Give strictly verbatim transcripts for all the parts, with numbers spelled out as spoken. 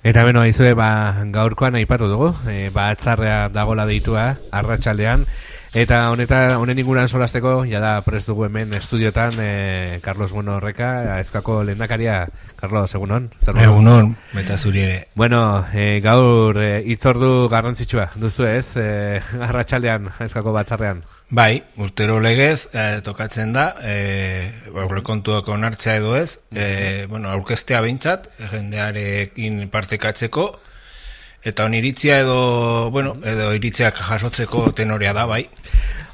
Eta beno, aizue, ba, gaurkoan aipatu dugu, e, ba, atzarrea dagola deitua, arratsaldean, eta honeta, honen inguran solasteko, jada prest dugu hemen estudiotan, e, Carlos Bueno Horreka, Ezkako lehendakaria. Carlos, egunon? Egunon, beta zuri ere. Bueno, e, gaur e, itzordu garrantzitsua duzu ez, e, arratsaldean Ezkako batzarrean. Bai, urtero legez, eh, tokatzen da, eh, aurrekontuak onartzea edo ez, eh, bueno, aurkeztea behintzat, jendearekin partekatzeko, eta oniritzia edo, bueno, edo iritziak jasotzeko tenorea da, bai.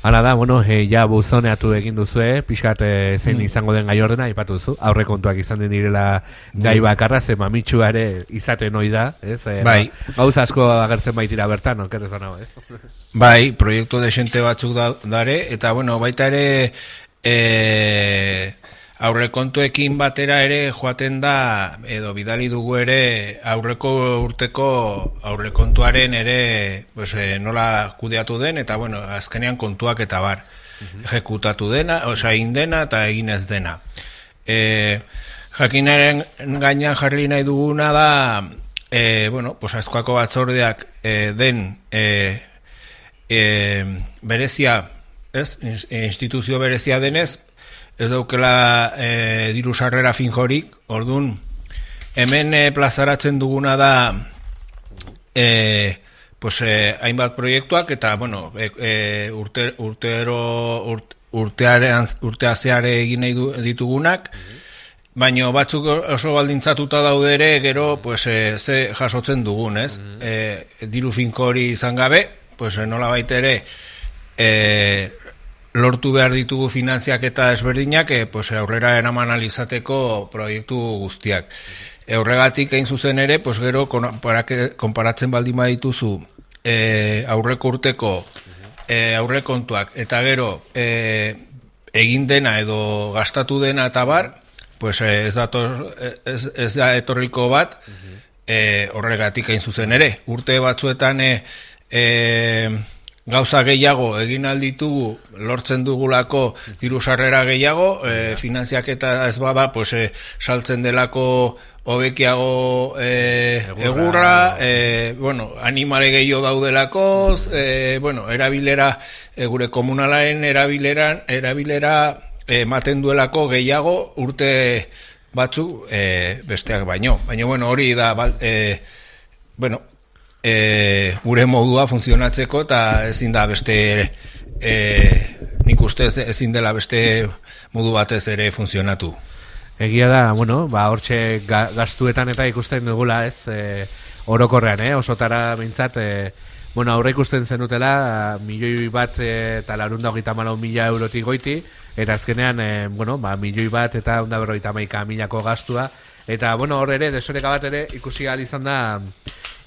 Hala da, bueno, e, ja buzoneatu egin duzue, pixkat e, zein mm. izango den gai ordena, aipatu duzu, aurrekontuak izan den direla gai bakarra, ze mamitxua ere izaten hoi da, ez? E, bai. Gauza asko agertzen baitira bertan, okerrez anau, ez? Bai, proiektu desente batzuk da, dare, eta bueno, baita ere e, aurrekontuekin batera ere joaten da, edo bidali dugu ere aurreko urteko aurrekontuaren ere pues, e, nola kudeatu den, eta bueno, azkenean kontuak eta bar, uh-huh. ejekutatu dena, osea, egin dena eta egin ez dena. E, jakinaren gainean jarri nahi duguna da, e, bueno, pues, Ezkoako batzordeak e, den e, E, berezia, ez, instituzio berezia denez, ez daukela e, diru sarrera finjorik, ordun hemen e, plazaratzen duguna da e, pues, e, hainbat proiektuak eta bueno, e, e, urte, urtero urt, urtearean, urteazeare egin nahi du, ditugunak, baina batzuk oso baldintzatuta daude ere, gero pues, e, ze jasotzen dugun, ez? E, diru finko hori izan gabe, pues nola baita ere e, lortu behar ditugu finantziak eta ezberdinak e, pues, aurrera eraman alizateko proiektu guztiak. E, horregatik hain zuzen ere, pues, gero konparatzen baldin badituzu e, aurreko urteko e, aurrekontuak eta gero e, egin dena edo gastatu dena eta bar, pues, e, ez, dator, ez, ez da etorriko bat e, horregatik hain zuzen ere. Urte batzuetan e, E, gauza gehiago egin alditugu lortzen dugulako diru sarrera gehiago, e, finantziak eta ez bada pues, e, saltzen delako hobekiago e, egurra, e, bueno, animale gehiago daudelako, e, bueno, erabilera, e, gure komunalaren erabileran, erabilera ematen duelako gehiago urte batzu e, besteak baino. Baina, bueno, hori da, e, bueno, E, gure modua funtzionatzeko eta ezin da beste e, nik uste ezin dela beste modu batez ere funtzionatu. Egia da, bueno, ba, hortxe ga, gastuetan eta ikusten dugula, ez, e, orokorrean, eh, osotara bintzat, e, bueno, aurre ikusten zenutela, milioi bat e, eta larunda hogeita malau mila eurotik goiti, eta azkenean, e, bueno, ba, milioi bat eta onda berroita maika milako gastua, eta, bueno, hor ere, desoreka bat ere, ikusi ahal izan da,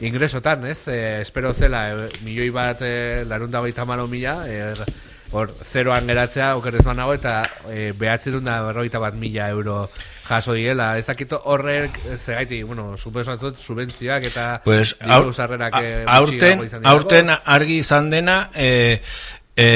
ingresotan, ez? E, espero zela, e, milioi bat e, larunda hogeita malau mila, e, hor, zeroan geratzea, okerrez banago, eta e, behatzen da berroita bat mila euro jaso direla. Ezakito horrek, zegaiti, bueno, supesatzot, subentzioak eta pues, diru sarrerak aurten, aurten argi izan dena, e, e,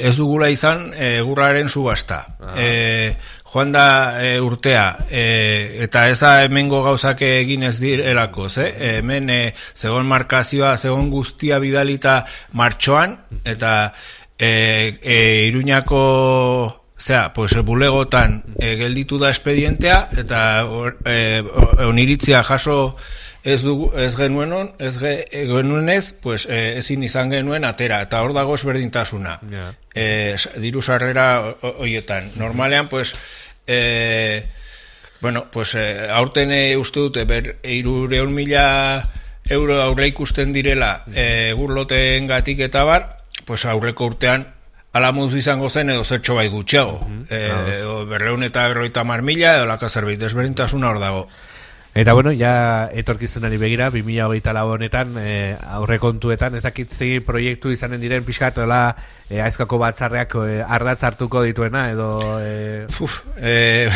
ez dugula izan egurraren subasta. E, joan da e, urtea, e, eta eza hemengo gauzak egin ez direlako, ze? E, hemen e, zegoen markazioa, zegoen guztia bidalita martxoan, eta e, e, Iruñako, zera, pues, bulegotan e, gelditu da espedientea, eta e, oniritzia jaso ez, dugu, ez genuenon, ez ge, genuenez, pues, e, ezin izan genuen atera, eta hor dago ezberdintasuna. Yeah. E, diru sarrera horietan. Normalean, pues, e, bueno, pues, e, aurten e, uste dute, ber, irureun mila euro aurre ikusten direla e, gurloten gatik eta bar, pues, aurreko urtean alamuz izango zen edo zertxo bai gutxiago. Mm-hmm. E, edo berreun eta berroita mar mila, edo laka zerbait, desberdintasuna hor dago. Eta bueno, ja etorkizunari begira, bi mila hogeita lau honetan, e, aurrekontuetan, ezakitzi proiektu izanen diren pixkatoela e, Aizkako batzarreak e, ardatz hartuko dituena, edo... E... Uf, e,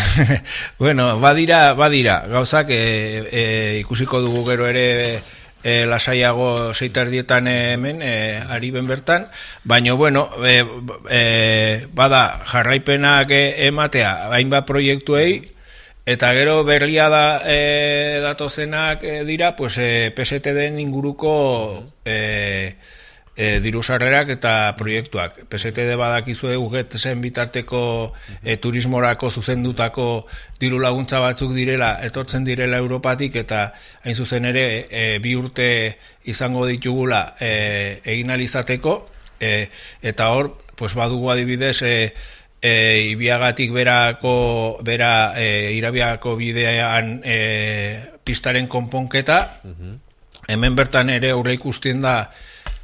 bueno, badira, badira, gauzak e, e, ikusiko dugu gero ere e, lasaiago seitardietan hemen, e, ari ben bertan, baina, bueno, e, e, bada jarraipenak ematea, hainbat proiektuei, Eta gero berria da e, datozenak e, dira, pues e, P S T den inguruko e, e, diru sarrerak eta proiektuak. P S T D badakizue ugetzen bitarteko e, turismorako zuzendutako diru laguntza batzuk direla, etortzen direla Europatik, eta hain zuzen ere e, bi urte izango ditugula e, egin alizateko, e, eta hor pues badugu adibidez e, E, Ibiagatik berako bera e, Irabiako bidean e, pistaren konponketa. Uh-huh. Hemen bertan ere aurre ikustien da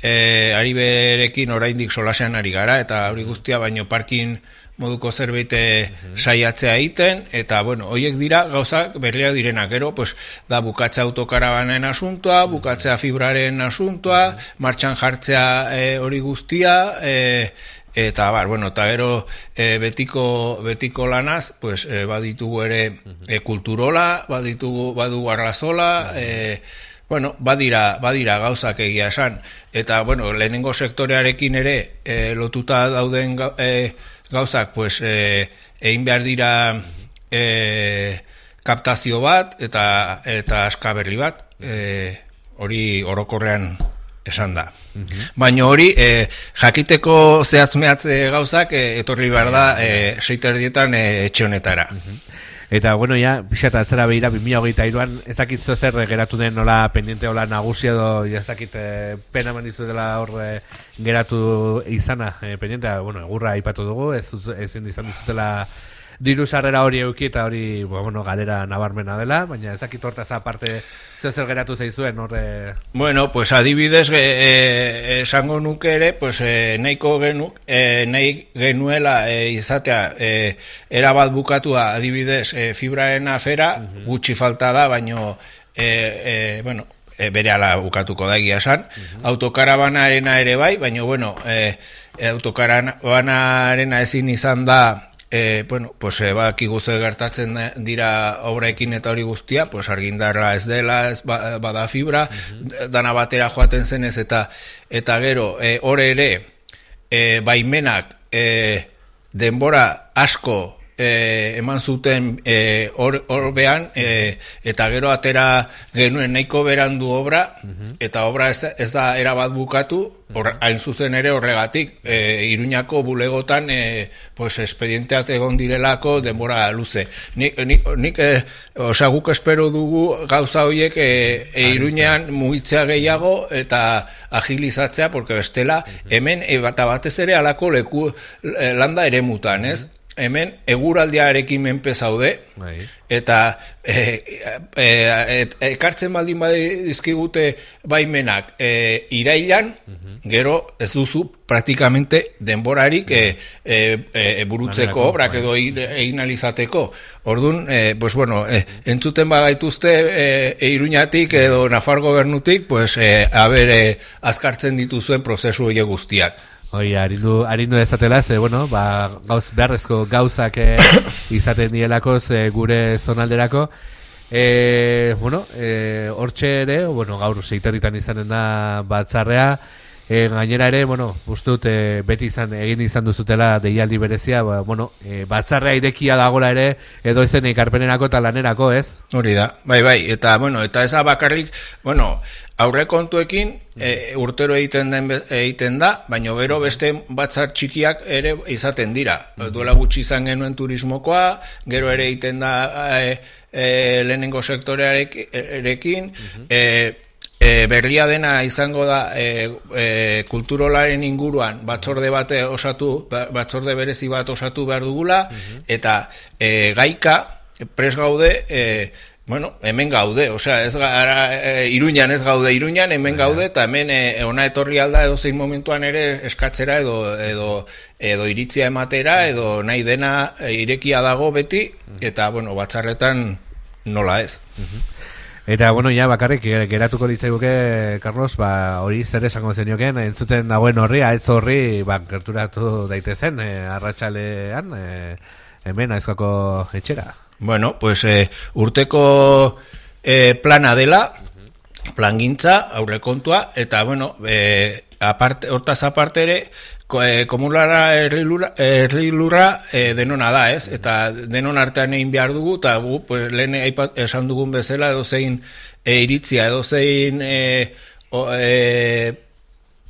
e, ari berekin oraindik solasean ari gara, eta hori guztia baino parkin moduko zerbait uh-huh. saiatzea egiten, eta bueno, hoiek dira gauzak berriak direnak. Gero pues da bukatzea autokarabanen asuntoa, bukatzea fibraren asuntoa, uh-huh. martxan jartzea e, hori guztia, e, eta bar, bueno, eta gero e, betiko, betiko lanaz, pues, e, baditugu ere e, kulturola, baditugu, badugu arrazola, e, bueno, badira, badira gauzak egia esan. Eta, bueno, lehenengo sektorearekin ere e, lotuta dauden ga, e, gauzak, pues, e, egin behar dira e, kaptazio bat, eta, eta askaberri bat, e, hori orokorrean esan da. Uh-huh. Baina hori, e, jakiteko zehatzmeatze gauzak, e, etorri behar da, e, seiterdietan e, etxe honetara. Uh-huh. Eta, bueno, ja, pixat atzera behira, bi mila hogeita hiruan, ezakit zer geratu den nola pendiente hola nagusia edo, ezakit e, pena mandizu dela hor e, geratu izana e, pendiente, bueno, egurra aipatu dugu, ez, ezin izan duzutela diru sarrera hori euki, eta hori, bueno, galera nabarmena dela, baina ezakit hortaz aparte zer zer geratu zaizuen horre... Bueno, pues adibidez e, esango nuke ere, pues e, nahiko genu, e, nahi genuela e, izatea e, erabat bukatua adibidez e, fibraren afera, uh-huh. gutxi falta da, baino e, e, bueno, e, bere ala bukatuko da egia esan, uh-huh. autokarabanarena ere bai, baino bueno, e, autokarabanarena ezin izan da. E, bueno, pues e, bakigu ze gertatzen dira obrekin eta hori guztia, pues argindarra ez dela, ez ba, bada fibra, uh-huh. dana batera joaten zenez, eta eta gero, e, hor ere, e, baimenak e, denbora asko e, eman zuten e, hor, hor behan, e, eta gero atera genuen nahiko berandu obra, uh-huh. eta obra ez, ez da erabat bukatu, hor, hain zuzen ere horregatik, e, Iruñako bulegotan e, pues, espedienteak egon direlako denbora luze. Nik, nik, nik e, osa, guk espero dugu gauza horiek e, e, Iruñean mugitzea gehiago eta agilizatzea, porque bestela hemen e, bat batez ere alako leku e, landa ere mutan, ez? Hemen eguraldiarekin menpe zaude, eta e, e, e, ekartzen baldin badizkigute baimenak e, irailan, uh-huh. gero ez duzu praktikamente denborarik e, e, e, burutzeko obrak edo egin alizateko. Orduan, e, pues bueno, e, entzuten bagaituzte e, e, Iruñatik edo Nafar gobernutik, pues e, haber e, azkartzen dituzuen prozesu horiek guztiak. Oi, harindu, harindu ezatela, ze, bueno, ba, gauz, beharrezko gauzak eh, izaten dielako, ze gure zonalderako. E, bueno, e, hortxe ere, bueno, gaur seiterritan izanen da batzarrea, e, gainera ere, bueno, uste dut, e, beti izan, egin izan duzutela deialdi berezia, ba, bueno, e, batzarrea irekia dagola ere, edo izen ikarpenerako eta lanerako, ez? Hori da, bai, bai, eta, bueno, eta ez bakarrik, bueno, aurre kontuekin e, urtero egiten den egiten da, baina gero beste batzar txikiak ere izaten dira. Duela gutxi izan genuen turismokoa, gero ere egiten da e, e, lehenengo sektorearekin, e, e, berria dena izango da e, e, kulturolaren inguruan batzorde bate osatu, batzorde berezi bat osatu behar dugula, eta e, gaika pres gaude e, bueno, hemen gaude, osea, ez gara, e, Iruñan ez gaude Iruñan, hemen gaude, eta hemen e, ona etorri alda edo zein momentuan ere eskatzera edo, edo, edo iritzia ematera, edo nahi dena e, irekia dago beti, eta, bueno, batzarretan nola ez. Eta, bueno, ja, bakarrik, geratuko ditzaiguke, Carlos, ba, hori zer esango zenioken, entzuten dagoen horri, ahetz horri, ba, gerturatu daitezen, e, arratsalean, e, hemen, aizkako etxera. Bueno, pues eh, urteko eh, plana dela, plangintza, aurrekontua, eta bueno, eh, aparte, hortaz aparte ere, komulara errilura, errilura e, denona da, ez? Eta denon artean egin behar dugu, eta gu, pues, lehen aipat, esan dugun bezala, edo zein e, iritzia, edo zein e, o, e,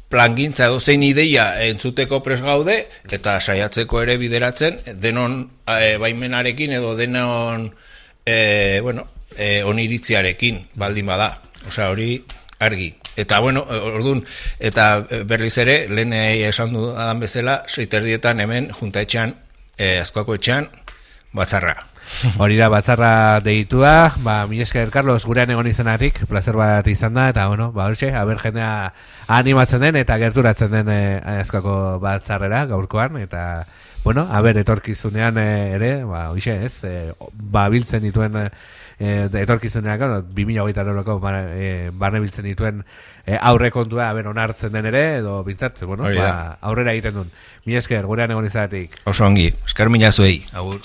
plangintza, edo zein ideia entzuteko pres gaude, eta saiatzeko ere bideratzen, denon e, baimenarekin, edo denon e, bueno, e, oniritziarekin, baldin bada. Osea, hori argi. Eta, bueno, orduan, eta berriz ere, lehen esan dudan bezala, seiterdietan hemen, junta etxean, eh, Azkoako etxean, batzarra. Hori da, batzarra deitua, ba, mi esker, Carlos, gurean egon izenatik, placer bat izan da, eta, bueno, ba, hortxe, haber jendea animatzen den, eta gerturatzen den eh, Azkoako batzarrera, gaurkoan, eta, bueno, haber etorkizunean eh, ere, ba, hoxe, ez, eh, ba, biltzen dituen, eh, E, etorkizuneak, no, bi mila hogeita lauko e, barne biltzen dituen e, aurre kontua, haber onartzen den ere, edo bintzat, bueno, ba, aurrera egiten duen. Mi esker, gurean egon izatik. Oso ongi, esker mina zuei, agur.